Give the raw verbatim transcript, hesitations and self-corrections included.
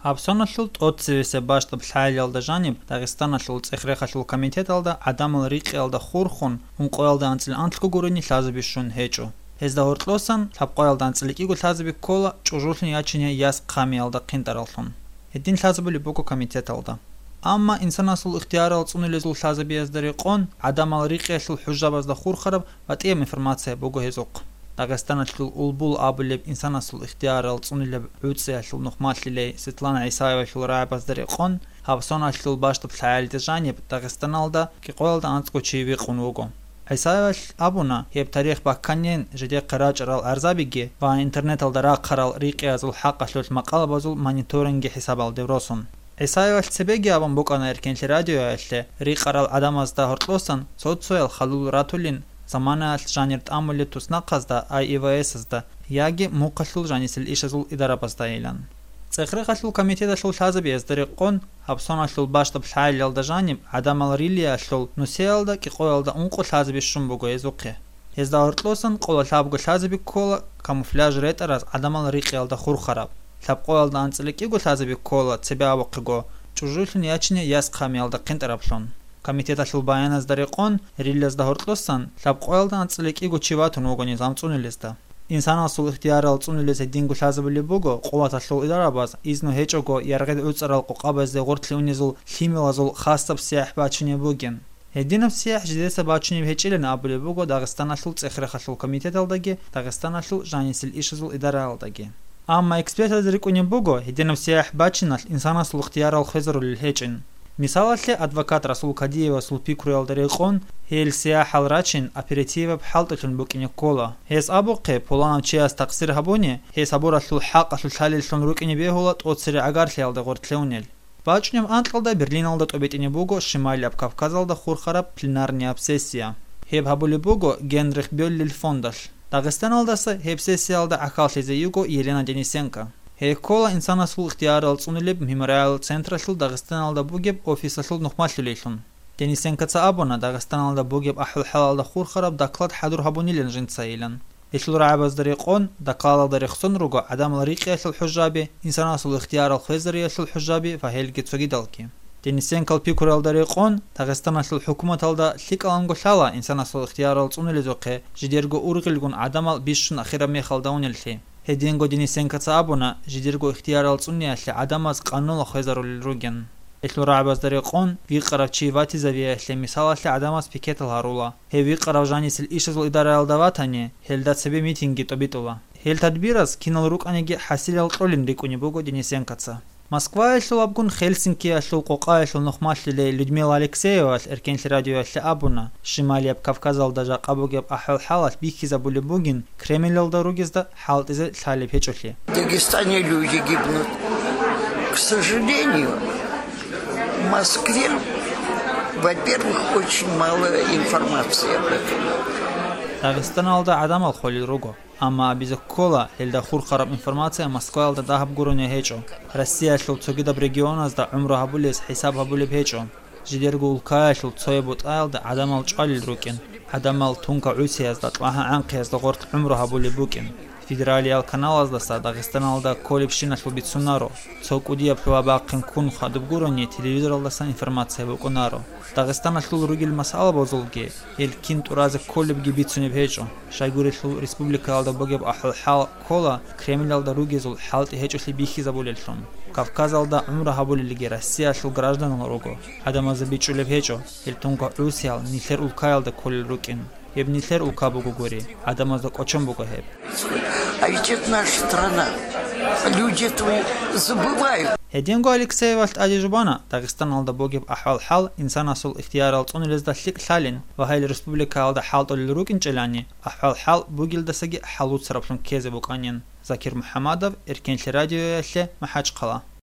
Гьабсоналъул тӀоцевесеб бащдаб лъагӀалиялда жаниб Дагъистаналъул цӀех-рехалъул комитеталда гӀадамал рикъиялда хурхун, ункъоялда анцӀила анлъго гурони лъазабищун гьечӀо. Гьезда гьоркьосан лъабкъоялда анцӀила кӀиго лъазаби ккола чӀужулъун ячине яс хъамиялда хъинтӀараллъун. Гьедин лъазабулеб буго комитеталда. Амма инсанасул ихтиярал цӀунулезул лъазабиязда рекъон, гӀадамал рикъиялъул хӀужабазда хурхараб батӀияб информация буго гьезухъ. Дагъистаналъул Улбул абулеб инсанасул ихтиярал цӀунулеб гӀуцӀиялъул нухмалъилей Светлана ГӀисаевалъул рагӀабазда рекъон, гьабсоналъул бащдаб лъагӀалида жаниб Дагъистаналда кӀикъоялда анцӀго чи викъун вуго. ГӀисаевалъ абуна, гьеб тарих бакканин жидехъе рачӀарал гӀарзабиги ва интернеталда рахъарал рикъиязул хӀакъалъулъ макъалабазул мониторинги хӀисабалде росун. ГӀисаевалъ цебеги абун букӀана Эркенлъи радиоялъе, рикъарал гӀадамазда гьоркьосан цо-цоял халул ратулин, заманаялъ жанир тӀамулеб туснахъазда, ай И В С-азда яги мухъалъул жанисел ишазул идарабаздайилан. ЦӀех-рехалъул комитеталъул лъазабиязда рекъон, гьабсоналъул бащдаб лъагӀалиялда жаниб гӀадамал рилиялъул нусиялда кӀикъоялда ункъо лъазаби щун буго гьезухъе. Гьезда гьоркьосан къола лъабго лъазаби ккола камуфляж ретӀараз гӀадамал рикъиялда хурхараб, лъабкъоялда анцӀила кӀиго лъазаби ккола цебе абухъего чӀужулъун ячине яс хъамиялда хъинтӀараблъун. Комитеталъул баяназда рекъон, рилазда гьоркьосан лъабкъоялда анцӀила кӀиго чи ватун вуго низам цӀунулезда. Инсанасул ихтиярал цӀунулез гьединго лъазабулеб буго, къуваталъул идарабаз изну гьечӀого яргъи гӀуцӀарал къокъабазде гъортлъи унезул лъималазул хасаб сияхӀ бачунеб бугин. Гьединаб сияхӀ жидеца бачунеб гьечӀилан абулеб буго Дагъистаналъул цӀех-рехалъул комитеталдаги Дагъистаналъул жанисел ишазул идараялдаги. Амма экспертаз рикӀкӀунеб буго, гьединаб сияхӀ бачиналъ инсанасул ихтиярал хвезарулел гьечӀин. Мисалалъе, адвокат Расул Кадиевасул пикруялда рекъон, гьел сияхӀал рачин оперативаб хӀалтӀулъун букӀине ккола. Гьес абухъе, пуланав чияс такъсир гьабуни, гьес гьабуралъул хӀакъалъулъ лъалеллъун рукӀине бегьула тӀоцере гӀагарлъиялда гъортлъи унел. БачӀунеб анкьалда Берлиналда тӀобитӀине буго Шималияб Кавказалда хурхараб пленарнияб сессия. Гьеб гьабулеб буго Генрих Бёллил фондалъ. Дагъистаналдаса гьеб сессиялда гӀахьаллъизе йиго Елена Денисенко. Гьей ккола инсанасул ихтиярал цӀунулеб мемориал централъул Дагъистаналда бугеб офисалъул нухмалъулейлъун. Денисенкоца абуна, Дагъистаналда бугеб ахӀвал-хӀалалда хурхараб доклад хӀадур гьабунилан жинцайилан. Гьелъул рагӀабазда рекъон, докладалда рехсон руго гӀадамал рикъиялъул хӀужаби, инсанасул ихтиярал хвезариялъул хӀужаби ва гьелги цогидалги. Денисенкал пикруялда рекъон, Дагъистаналъул хӀукуматалда лъикӀаланго лъала инсанасул ихтиярал цӀунулезухъе жидерго ургъилгун гӀадамал бищун ахираб мехалда унеллъи. Гьединго Денисенкоца абуна, жидерго ихтиярал цӀуниялъе гӀадамаз къануналъ хвезарулел ругин. Гьелъул рагӀабазда рекъон, вихъарав чи ватизавиялъе мисалалъе гӀадамаз пикетал гьарула. Гьев вихъарав жанисел ишазул идараялда ватани, гьелда цебе митингги тӀобитӀула. Гьел тадбираз кинал рукӀаниги хӀасилал кьолин рикӀкӀунеб буго Денисенкоца. Москваялъул абгун Хельсинкиялъул къокъаялъул нухмалъулей Людмила Алексеевалъ Эркенлъи радиоялъе абуна, Шималияб Кавказалда жакъа бугеб ахӀвал-хӀалалъ бихьизабулеб бугин Кремльалда ругезда хӀалтӀизе лъалеб гьечӀолъи. В Дагестане люди гибнут. К сожалению, в Москве, во-первых, очень мало информации об этом. Дагъистаналда гӀадамал холел руго, амма абизе ккола, гьелда хурхараб информация Москваялда дагьаб гурони гьечӀо. Россиялъул цогидаб регионазда гӀумру гьабулез хӀисаб гьабулеб гьечӀо. Жидерго улкаялъул цояб бутӀаялда гӀадамал чӀвалел рукӀин, гӀадамал тункагӀусиязда, кьвагьа-гӀанхъиязда гъоркь гӀумру гьабулеб букӀин. Федералиял каналаздаса Дагъистаналда кколебщиналъул бицунаро, цо кӀудияб лъугьа-бахъин ккун хадуб гурони телевизоралдасан информация букӀунаро. Дагъистаналъул ругел масъалабазулги, гьел кин тӀуразе кколебги бицунеб гьечӀо. Щайгурелъул республикаялда бугеб ахӀвал-хӀал ккола Кремльалда ругезул хӀалтӀи гьечӀолъи бихьизабулеллъун. Кавказалда гӀумру гьабулелги Россиялъул гражданал руго, гӀадамазда бичӀчӀулеб гьечӀо, гьел тункагӀусиял нилъер улкаялда кколел рукӀин. Гьеб нилъер улка бугогури, гӀадамазда кӀочон буго гьеб. А ведь это наша страна. Люди этого забывают. Гьединго Алексеевалъ тӀаде жубана, Дагъистаналда бугеб ахӀвал-хӀал инсанасул ихтиярал цӀунулезда лъикӀ лъалин ва гьел республикаялда хӀалтӀулел рукӀинчӀелани, ахӀвал-хӀал бугелдасаги хӀалуцараблъун ккезе букӀанин. Закир МухӀамадов, Эркенлъи радиоялъе, МахӀачхъала.